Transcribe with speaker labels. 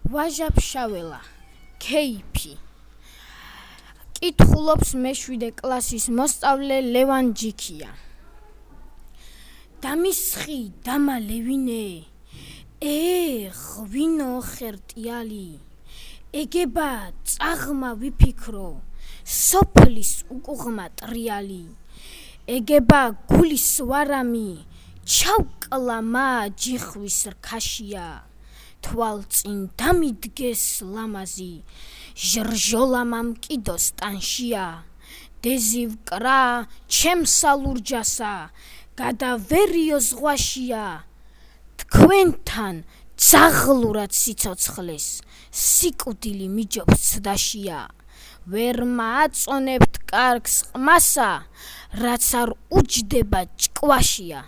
Speaker 1: ვაჟაფშაველა ქეიფი კითხულობს მე-7 კლასის მოსწავლე ლევან ჯიქია. დამისხი დამალევინე ღვინო ხერტიალი ეგება წაღმა ვიფიქრო სოფლის უკუღმა ტრიალი ეგება გულის ვარამი ჩავკლა ჯიხვის რქაშია თვალწინ დამიდგეს ლამაზი ჟრჟოლა მამკიდოს ტანშია დეზივკრა ჩემსა ლურჯასა გადავერიო ზღვაშია თქვენთან ძაღლურად სიცოცხლეს სიკვდილი მიჯობს ცდაშია ვერ მააწონებთ კარგს ყმასა რაც არ უჯდება ჭკვაშია